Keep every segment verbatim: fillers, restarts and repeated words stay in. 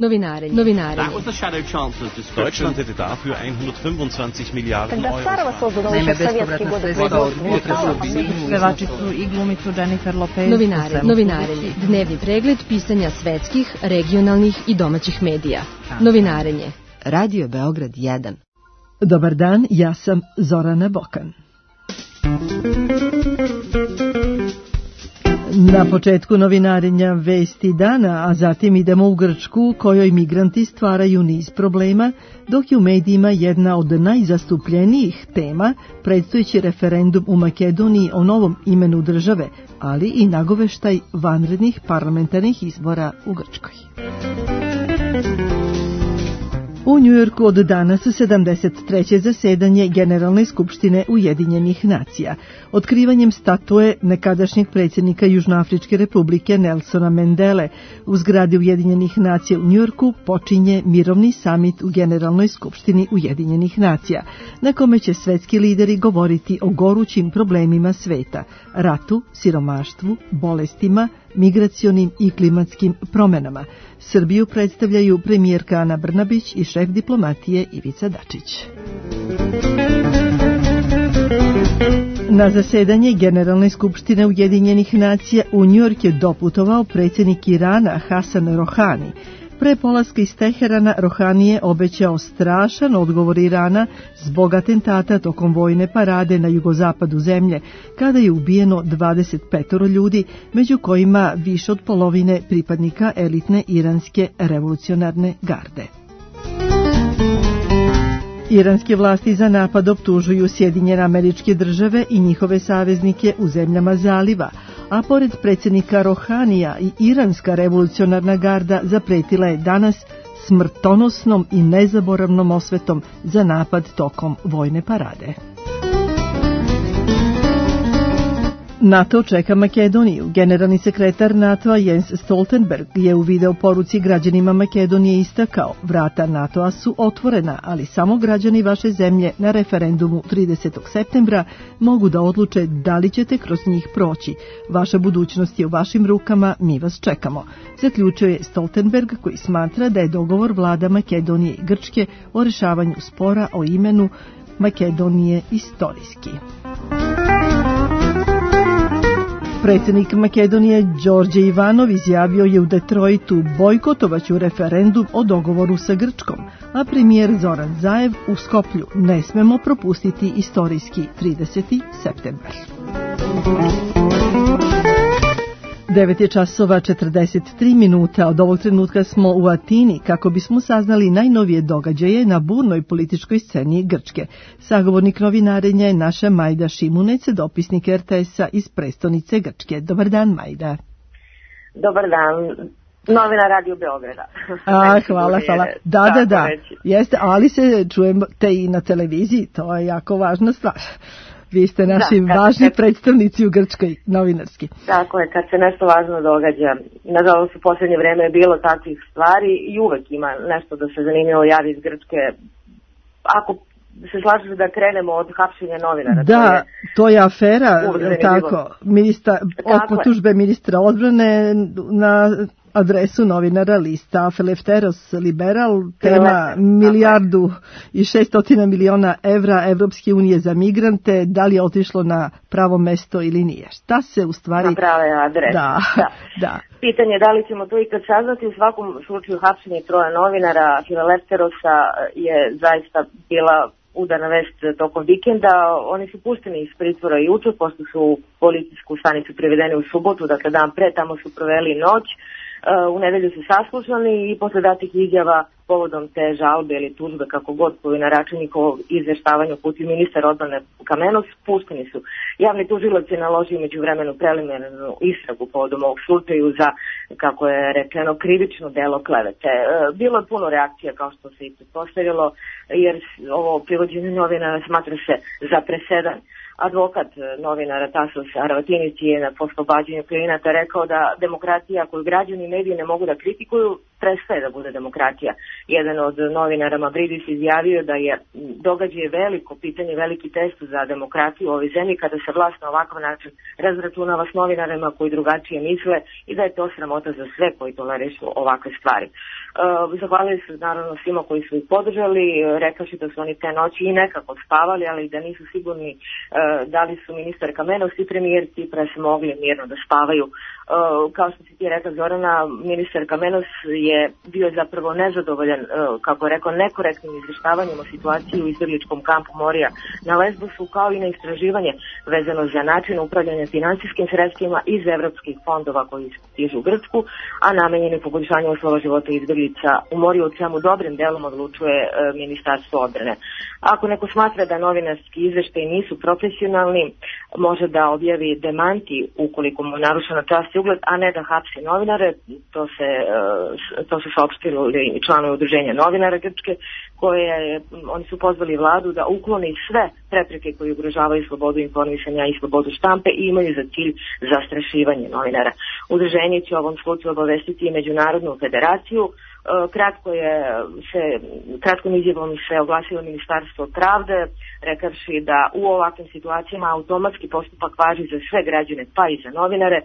Novinarenje. Novinarenje. That was the shadow chancellor's description. Deutschland hätte dafür hundertfünfundzwanzig Milliarden Euro. Naime, bespovratna sredstva od potresa. Pevačicu i glumicu Jennifer Lopez. Novinare, novinarenje. Dnevni pregled pisanja svetskih, regionalnih i domaćih medija. Novinarenje. Radio Beograd jedan. Dobar dan, ja sam Zorana Bokan. Na početku novinarenja vesti dana, a zatim idemo u Grčku, kojoj migranti stvaraju niz problema, dok je u medijima jedna od najzastupljenijih tema predstojeći referendum u Makedoniji o novom imenu države, ali i nagoveštaj vanrednih parlamentarnih izbora u Grčkoj. U Njujorku od danas sedamdeset treće zasedanje Generalne skupštine Ujedinjenih nacija. Otkrivanjem statue nekadašnjeg predsjednika Južnoafričke republike Nelsona Mandele u zgradi Ujedinjenih nacija u Njujorku počinje mirovni samit u Generalnoj skupštini Ujedinjenih nacija, na kome će svetski lideri govoriti o gorućim problemima sveta, ratu, siromaštvu, bolestima, migracionim i klimatskim promenama. Srbiju predstavljaju premijerka Ana Brnabić i šef diplomatije Ivica Dačić. Na zasedanje Generalne skupštine Ujedinjenih nacija u Njujork je doputovao predsjednik Irana Hasan Rohani. Pre polaska iz Teherana Rohani je obećao strašan odgovor Irana zbog atentata tokom vojne parade na jugozapadu zemlje, kada je ubijeno dvadeset pet ljudi, među kojima više od polovine pripadnika elitne iranske revolucionarne garde. Iranske vlasti za napad optužuju Sjedinjene Američke Države i njihove saveznike u zemljama zaliva, a pored predsjednika Rohanija i iranska revolucionarna garda zapretila je danas smrtonosnom i nezaboravnom osvetom za napad tokom vojne parade. NATO čeka Makedoniju. Generalni sekretar NATO-a Jens Stoltenberg je u video poruci građanima Makedonije istakao: vrata NATO-a su otvorena, ali samo građani vaše zemlje na referendumu tridesetog septembra mogu da odluče da li ćete kroz njih proći. Vaša budućnost je u vašim rukama, mi vas čekamo. Zaključio je Stoltenberg, koji smatra da je dogovor vlada Makedonije i Grčke o rešavanju spora o imenu Makedonije istorijski. Predsjednik Makedonije Đorđe Ivanov izjavio je u Detroitu: bojkotovaću referendum o dogovoru sa Grčkom, a premijer Zoran Zaev u Skoplju: ne smemo propustiti istorijski trideseti septembar. devet je časova četrdeset tri minuta. Od ovog trenutka smo u Atini kako bismo saznali najnovije događaje na burnoj političkoj sceni Grčke. Sagovornik novinarenja je naša Majda Šimunec, dopisnik er te esa iz prestonice Grčke. Dobar dan, Majda. Dobar dan. Novina Radio Beograda. A, hvala, hvala. Da, da, da. Jeste, ali se čujemo te i na televiziji, to je jako važna stvar. Vi ste naši da, važni kad, predstavnici u Grčkoj, novinarski. Tako je, kad se nešto važno događa. Nažalost, u posljednje vreme je bilo takvih stvari i uvek ima nešto da se zanimljivo javi iz Grčke. Ako se slažeš da krenemo od hapšenja novinara. Da, to je, to je afera, tako, ministra, od potužbe ministra odbrane na adresu novinara lista Eleftheros Liberal, tema milijardu i šestotina miliona evra Evropske unije za migrante, da li je otišlo na pravo mesto ili nije. Šta se u stvari... Na prave adrese. Da, da. da. Pitanje je da li ćemo to ikad saznati. U svakom slučaju hapšenje troje novinara Eleftherosa je zaista bila udarna vest tokom vikenda. Oni su pušteni iz pritvora juče, pošto su u policijsku stanicu privedeni u subotu, dakle dan pre, tamo su proveli noć. U nedelju su saslušani i posle datih izjava povodom te žalbe ili tužbe, kako god, koju na račun njihovog izveštavanju putio ministar odbrane Kamenos, pušteni su. Javni tužilac je naložio međuvremenu preliminarnu istragu povodom ovog slučaju za, kako je rečeno, krivično delo klevete. Bilo je puno reakcija, kao što se i pretpostavilo, jer ovo privođenje novinara smatra se za presedan. Advokat novinara Tasos Aravatinis je na oslobađanju klijenata rekao da demokratija koju građani i mediji ne mogu da kritikuju, prestaje da bude demokratija. Jedan od novinara Mavridis izjavio da je događaj veliko pitanje, veliki test za demokratiju u ovoj zemlji kada se vlast na ovakav način razračunava s novinarima koji drugačije misle i da je to sramota za sve koji tolerišu ovakve stvari. Uh, zahvalili su naravno svima koji su ih podržali, rekavši da su oni te noći i nekako spavali, ali da nisu sigurni uh, da li su ministar Kamenos i premijer Cipras mogli mirno da spavaju. Uh, kao što si ti rekao, Zorana, ministar Kamenos je bio zapravo nezadovoljan, uh, kako je rekao, nekorektnim izvještavanjem o situaciji u izbjegličkom kampu Morija na Lesbosu, kao i na istraživanje vezano za način upravljanja finansijskim sredstvima iz evropskih fondova koji stižu u Grčku, a namenjeni poboljšanju uslova života izbjeglica u Moriju, o čemu dobrim delom odlučuje uh, ministarstvo odbrane. Ako neko smatra da novinarski izveštaji nisu profesionalni, može da objavi demanti ukoliko mu je narušena čast i ugled, a ne da hapsi novinare. To se, to se saopštili članovi udruženja novinara Grčke, koje oni su pozvali vladu da ukloni sve prepreke koje ugrožavaju slobodu informisanja i slobodu štampe i imaju za cilj zastrašivanje novinara. Udruženje će u ovom slučaju obavestiti i Međunarodnu federaciju. Kratko je se, kratkom izjavom se oglasilo Ministarstvo pravde, rekavši da u ovakvim situacijama automatski postupak važi za sve građane, pa i za novinare.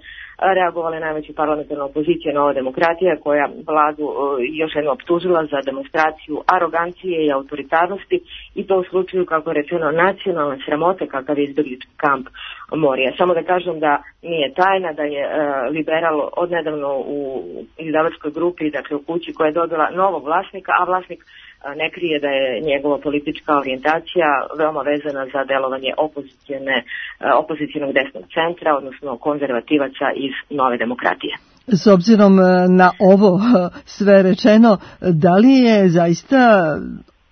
Reagovala je najveća parlamentarna opozicija Nova demokratija, koja vladu još jedno optužila za demonstraciju arogancije i autoritarnosti, i to u slučaju, kako je rečeno, nacionalne sramote kakav je izbjeglički kamp Morija. Samo da kažem da nije tajna da je uh, Liberal odnedavno u izdavačkoj grupi, dakle u kući koja je dobila novog vlasnika, a vlasnik uh, ne krije da je njegova politička orijentacija veoma vezana za delovanje opozicijne, uh, opozicijnog desnog centra, odnosno konzervativaca iz Nove demokratije. S obzirom na ovo sve rečeno, da li je zaista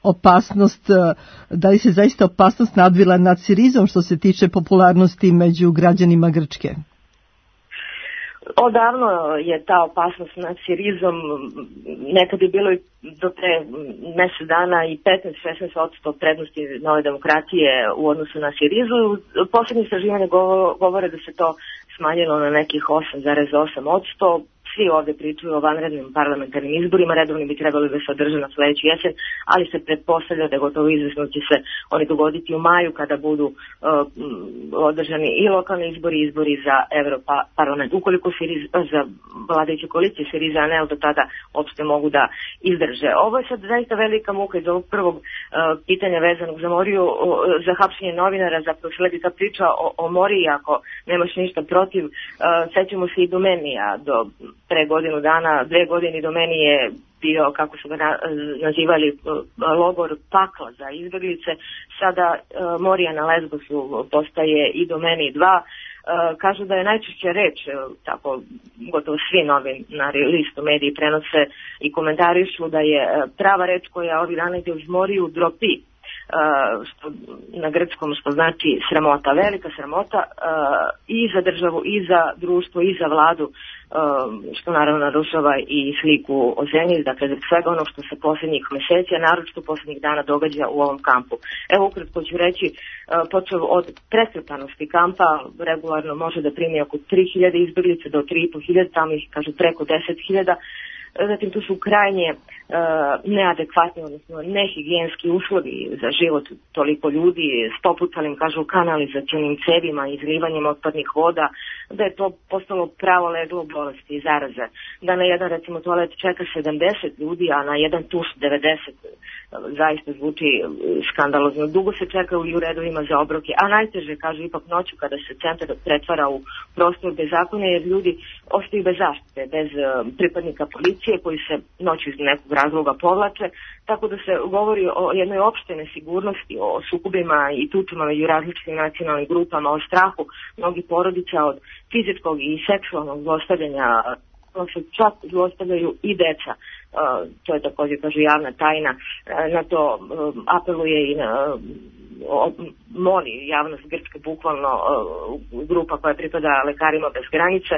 opasnost, da li se zaista opasnost nadvila nad Sirizom što se tiče popularnosti među građanima Grčke? Odavno je ta opasnost nad Sirizom, nekad je bilo i do pre mjesec dana i petnaest do šesnaest posto prednosti Nove demokratije u odnosu na Sirizu. Posljednje istraživanje govore da se to smanjilo na nekih osam zarez osam posto. Svi ovdje pričaju o vanrednim parlamentarnim izborima, redovni bi trebali da se održe na sljedeću jesen, ali se pretpostavlja da gotovo izvesno će se oni dogoditi u maju kada budu uh, održani i lokalni izbori i izbori za Europarlament. Ukoliko Siriz, za vladajuće koalicije Siriza ne, do tada uopšte mogu da izdrže. Ovo je sad zaista velika muka iz ovog prvog uh, pitanja vezanog za Moriju, uh, za hapšenje novinara, zapravo sledi ta priča o, o Moriji, ako nemaš ništa protiv. Uh, sećamo se i Domenija do pre godinu dana, dve godine do meni je bio, kako su ga nazivali, logor pakla za izbjeglice. Sada uh, Morija na Lesbosu postaje i do meni dva. Uh, kažu da je najčešća reč, tako gotovo svi novinari, listu, mediji prenose i komentarišu da je prava reč koja ovih dana ide uz Moriju dropi. Uh, što na grčkom što znači sramota, velika sramota uh, i za državu, i za društvo, i za vladu, uh, što naravno narušava i sliku o zemlji, dakle za svega ono što se posljednjih mjeseci, a naročito posljednjih dana događa u ovom kampu. Evo ukratko ću reći, uh, počeo od prestrpanosti kampa, regularno može da primi oko tri hiljade izbjeglica do tri i po hiljade, tamo ih kažu preko deset hiljada. Zatim tu su krajnje uh, neadekvatni, odnosno nehigijenski uslovi za život toliko ljudi s popucalim, kažu, kanalizacionim cevima i izlivanjem otpadnih voda, da je to postalo pravo leglo bolesti i zaraze. Da na jedan, recimo, toalet čeka sedamdeset ljudi, a na jedan tuš devedeset. Zaista zvuči skandalozno. Dugo se čeka u redovima za obroke, a najteže, kažu, ipak noću kada se centar pretvara u prostor bez zakona, jer ljudi ostaju bez zaštite, bez uh, pripadnika policije koji se noću iz nekog razloga povlače, tako da se govori o jednoj opštoj nesigurnosti, o sukobima i tučama među različitim nacionalnim grupama, o strahu mnogih porodica od fizičkog i seksualnog zlostavljanja, se čak zlostavljaju i deca. Uh, to je također, kažu, javna tajna. Uh, na to uh, apeluje i na, uh, moli javnost Grčke, bukvalno grupa koja pripada Lekarima bez granice,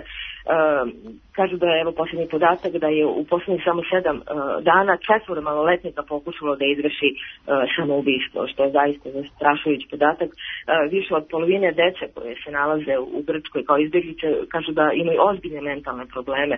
kažu da je, evo posljednji podatak, da je u posljednjih samo sedam dana četvoro maloletnika pokušalo da izvrši samoubistvo, što je zaista zastrašujući podatak. Više od polovine dece koje se nalaze u Grčkoj kao izbjeglice kažu da imaju ozbiljne mentalne probleme.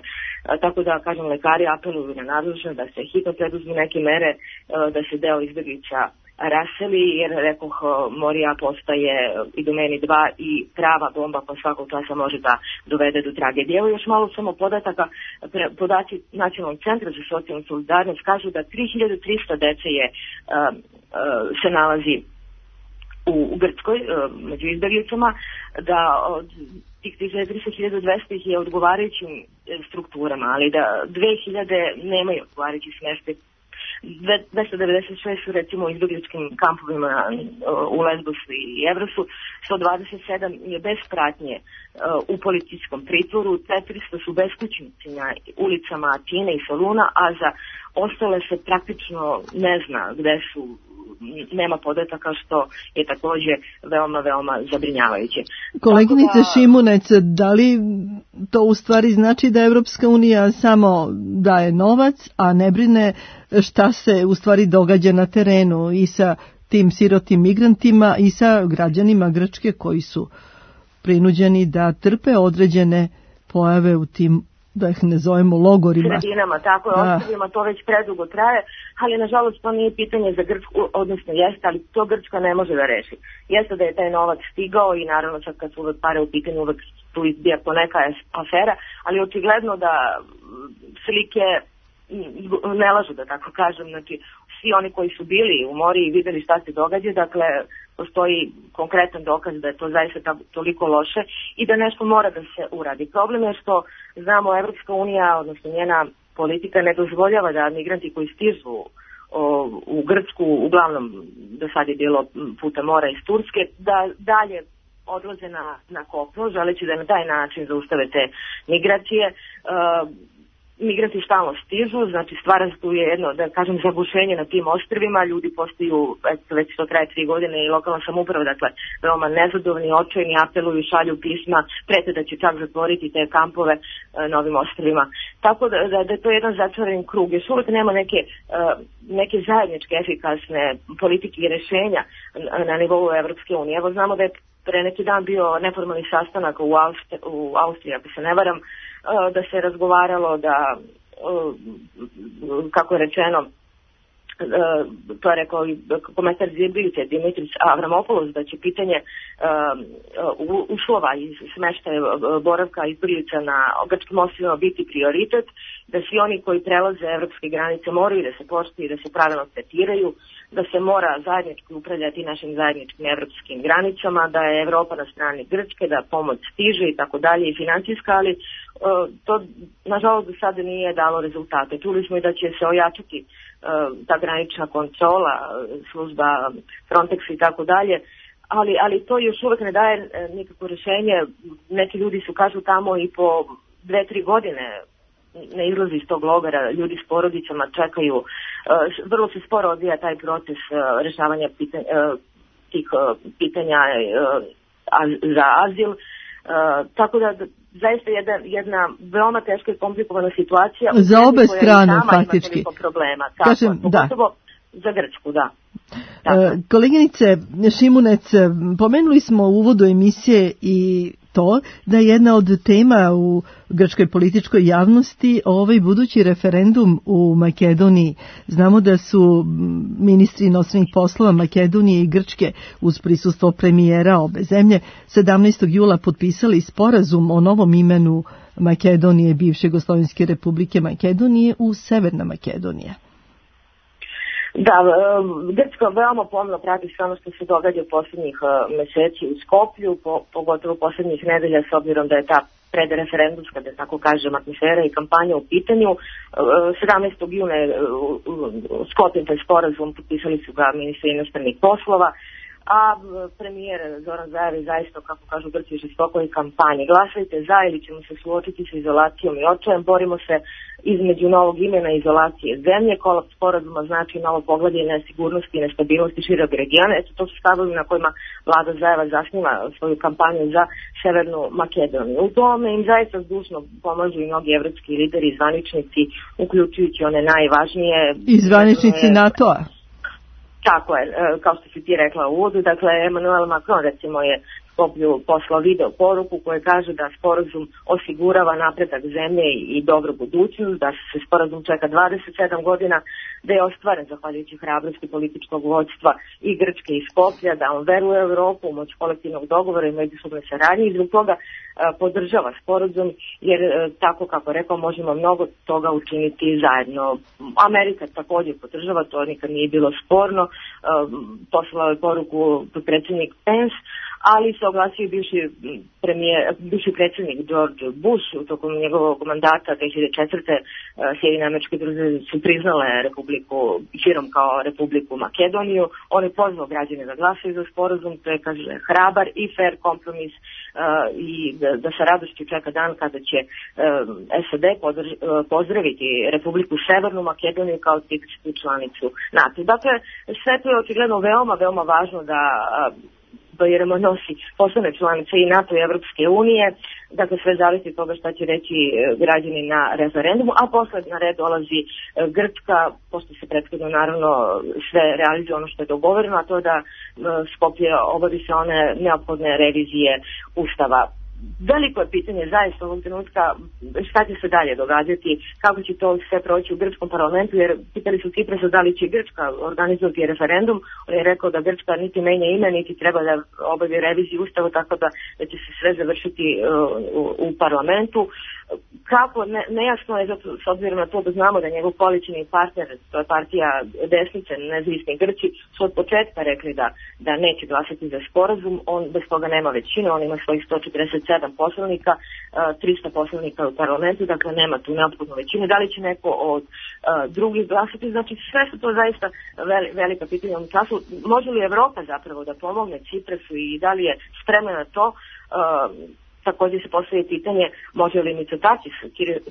Tako da, kažem, lekari apeluju na nadležne da se hitno preduzmu neke mere, da se deo izbjeglica raseli, jer, rekoh, Morija postaje i domeni dva i prava bomba koja svakog časa može da dovede do tragedije. Evo još malo samo podataka. Podaci Nacionalnog centra za socijalnu solidarnost kažu da tri hiljade trista dece je, uh, uh, se nalazi u, u Grčkoj, uh, među izbjeglicama, da od tih tri hiljade trista hiljadu dvesta ih je odgovarajućim strukturama, ali da dve hiljade nemaju odgovarajući smještaj. dvesta devedeset šest su recimo u izbjegličkim kampovima u Lesbosu i Evrosu, sto dvadeset sedam je bez pratnje u policijskom pritvoru, četiristo su beskućnici na ulicama Atine i Soluna, a za ostale se praktično ne zna gde su, nema podataka, što je također veoma, veoma zabrinjavajuće. Koleginice da... Šimunec, da li to u stvari znači da Evropska unija samo daje novac, a ne brine šta se u stvari događa na terenu i sa tim sirotim migrantima i sa građanima Grčke koji su prinuđeni da trpe određene pojave u tim, da ih ne zovemo, logorima. Sredinama, tako je, ostavima, to već predugo traje, ali nažalost to nije pitanje za Grčku, odnosno jeste, ali to Grčka ne može da reši. Jeste da je taj novac stigao i naravno sad kad su uvek pare u pitanju, uvek tu izbija poneka afera, ali očigledno da slike ne lažu, da tako kažem, znači svi oni koji su bili u mori i videli šta se događa, dakle postoji konkretan dokaz da je to zaista toliko loše i da nešto mora da se uradi. Problem je što znamo Evropska unija, odnosno njena politika ne dozvoljava da migranti koji stižu o, u Grčku, uglavnom do sad je bilo puta mora iz Turske, da dalje odlaze na, na kopno, želeći da na taj način zaustave te migracije. Uh, Migranti stalno stižu, znači stvara se tu je jedno, da kažem, zagušenje na tim ostrvima, ljudi postaju, već to traje tri godine i lokalna samouprava, dakle, veoma nezadovoljni, očajni, apeluju, šalju pisma, prete da će čak zatvoriti te kampove e, na ovim ostrvima. Tako da, da, da je to jedan zatvoren krug. Još uvijek nema neke, e, neke zajedničke efikasne politike i rješenja na, na nivou Evropske unije. Evo znamo da je pre neki dan bio neformalni sastanak u, Austri, u Austriji, ako se ne varam, da se razgovaralo da, kako je rečeno, to je rekao i komentar izbjeglice Dimitris Avramopoulos, da će pitanje uslova i smeštaja boravka izbjeglica na grčkim ostrvima biti prioritet, da svi oni koji prelaze evropske granice moraju da se poštuju i da se pravilno tretiraju, da se mora zajednički upravljati našim zajedničkim evropskim granicama, da je Evropa na strani Grčke, da pomoć stiže i tako dalje i financijska, ali to nažalost do sada nije dalo rezultate. Čuli smo i da će se ojačati ta granična kontrola, služba Frontex i tako dalje, ali, ali to još uvijek ne daje nikakvo rješenje. Neki ljudi su, kažu, tamo i po dve, tri godine ne izlazi iz tog logora, ljudi s porodicama čekaju, vrlo se sporo odvija taj proces rješavanja pitanja, tih pitanja za azil, tako da zaista jedna, jedna veoma teška i komplikovana situacija za obe strane faktički problema, tako, Kažem, pogotovo da. Za Grčku, da. E, koleginice Šimunec, pomenuli smo u uvodu emisije i to da je jedna od tema u grčkoj političkoj javnosti ovaj budući referendum u Makedoniji. Znamo da su ministri inostranih poslova Makedonije i Grčke uz prisustvo premijera obe zemlje sedamnaestog jula potpisali sporazum o novom imenu Makedonije, bivše Jugoslovenske republike Makedonije, u Severna Makedonija. Da, Grčka veoma pomno prati sve ono što se događa u posljednjih meseci u Skoplju, po, pogotovo posljednjih nedelja, s obzirom da je ta predreferendumska, da tako kažem, atmosfera i kampanja u pitanju. sedamnaestog juna je sklopljen taj sporazum, potpisali su ga ministri inostranih poslova. a premijer Zoran Zaev zaista, kako kažu Grci, u žestokoj kampanji. Glasajte za ili ćemo se suočiti sa izolacijom i očajem, borimo se između novog imena izolacije zemlje, kolaps sporazuma znači novo poglavlje nesigurnosti i nestabilnosti šireg regiona. Eto, to su stavovi na kojima vlada Zaeva zasniva svoju kampanju za Severnu Makedoniju. U tome im zaista zdušno pomažu i mnogi evropski lideri i zvaničnici, uključujući one najvažnije. I zvaničnici NATO-a. Tako je, kao što si ti rekla u uvodu, dakle Emmanuel Macron recimo je Skoplju poslao video poruku koja kaže da sporazum osigurava napredak zemlje i dobru budućnost, da se sporazum čeka dvadeset sedam godina, da je ostvaren zahvaljujući hrabrosti političkog vođstva i Grčke i Skoplja, da on veruje u Evropu, u moć kolektivnog dogovora i međusobne saradnje i zbog toga podržava sporazum, jer tako kako rekao možemo mnogo toga učiniti zajedno. Amerika također podržava, to nikad nije bilo sporno, poslao je poruku predsjednik Pence, ali se oglasio bivši, premijer, bivši predsjednik George Bush u tokom njegovog mandata dve hiljade četvrte. Sjedinjene Američke Države su priznale Republiku širom kao Republiku Makedoniju. On je pozvao građane da glasaju za sporazum, to je, kaže, hrabar i fair kompromis uh, i da, da sa radošću čeka dan kada će uh, S A D podrž, uh, pozdraviti Republiku Severnu Makedoniju kao tipičnu članicu NATO. Dakle, sve to je očigledno veoma, veoma važno da uh, jer nosi postane članice i NATO i Evropske unije, dakle sve zavisi od toga šta će reći građani na referendumu, a posle na red dolazi Grčka, pošto se prethodno naravno sve realizuje ono što je dogovoreno, a to je da Skoplje obavi se one neophodne revizije Ustava. Veliko je pitanje zaista ovog trenutka šta će se dalje događati, kako će to sve proći u grčkom parlamentu, jer pitali su Ciprasa da li će Grčka organizovati referendum. On je rekao da Grčka niti menja ime, niti treba da obavi reviziju Ustava, tako da, da će se sve završiti uh, u, u parlamentu. Kako, ne, nejasno je, zato, s obzirom na to da znamo da njegov koalicioni partner, to je partija desnice, nezavisni Grci, su od početka rekli da, da neće glasati za sporazum, on bez toga nema većine, on ima svojih sto četrdeset sedam poslanika, trista poslanika u parlamentu, dakle nema tu neophodnu većinu. Da li će neko od uh, drugih glasati? Znači sve su to zaista veli, velika pitanja u ovom času. Može li Evropa zapravo da pomogne Ciprasu i da li je spremna na to? Uh, Također se postavlja pitanje može li Mitsotakis,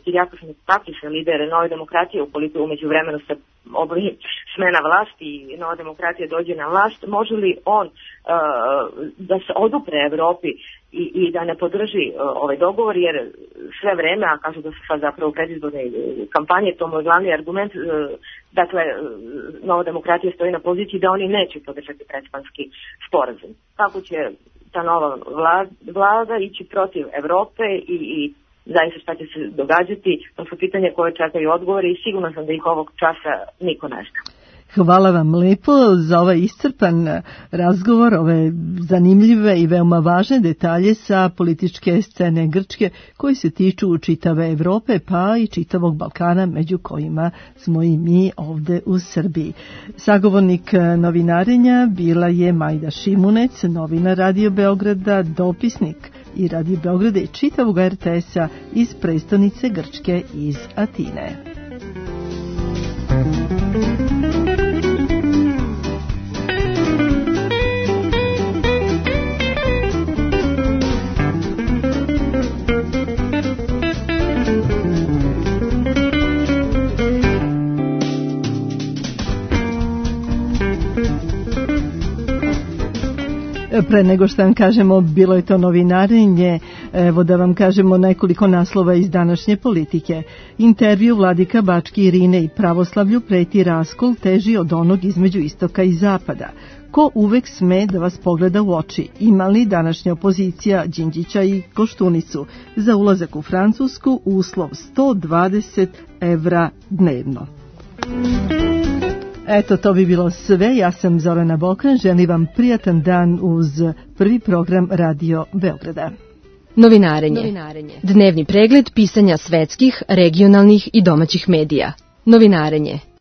Kyriakos Mitsotakis, lider Nove demokratije, ukoliko umeđu vremenu se obavi smena vlasti i Nova demokratija dođe na vlast, može li on uh, da se odupre Evropi i, i da ne podrži uh, ovaj dogovor, jer sve vreme, a kažu da su sad zapravo predizborne kampanje, to moj glavni argument, uh, dakle Nova demokratija stoji na poziciji da oni neće podržati predspanski sporazum. Kako će ta nova vlada, vlada ići protiv Evrope i, i zaista šta će se događati, to su pitanje koje čekaju odgovore i sigurno sam da ih ovog časa niko ne zna. Hvala vam lepo za ovaj iscrpan razgovor, ove zanimljive i veoma važne detalje sa političke scene Grčke koji se tiču čitave Evrope pa i čitavog Balkana, među kojima smo i mi ovde u Srbiji. Sagovornik novinarenja bila je Majda Šimunec, novinar Radio Beograda, dopisnik i Radio Beograda i čitavog R T S-a iz prestonice Grčke, iz Atine. Pre nego što vam kažemo, bilo je to novinarenje, evo da vam kažemo nekoliko naslova iz današnje Politike. Intervju Vladika Bački Irine i pravoslavlju preti raskol teži od onog između istoka i zapada. Ko uvek sme da vas pogleda u oči? Ima li današnja opozicija Đinđića i Koštunicu? Za ulazak u Francusku uslov sto dvadeset evra dnevno. Eto, to bi bilo sve. Ja sam Zorana Bokan. Želim vam prijatan dan uz prvi program Radio Beograda. Novinarenje. Novinarenje. Dnevni pregled pisanja svetskih, regionalnih i domaćih medija. Novinarenje.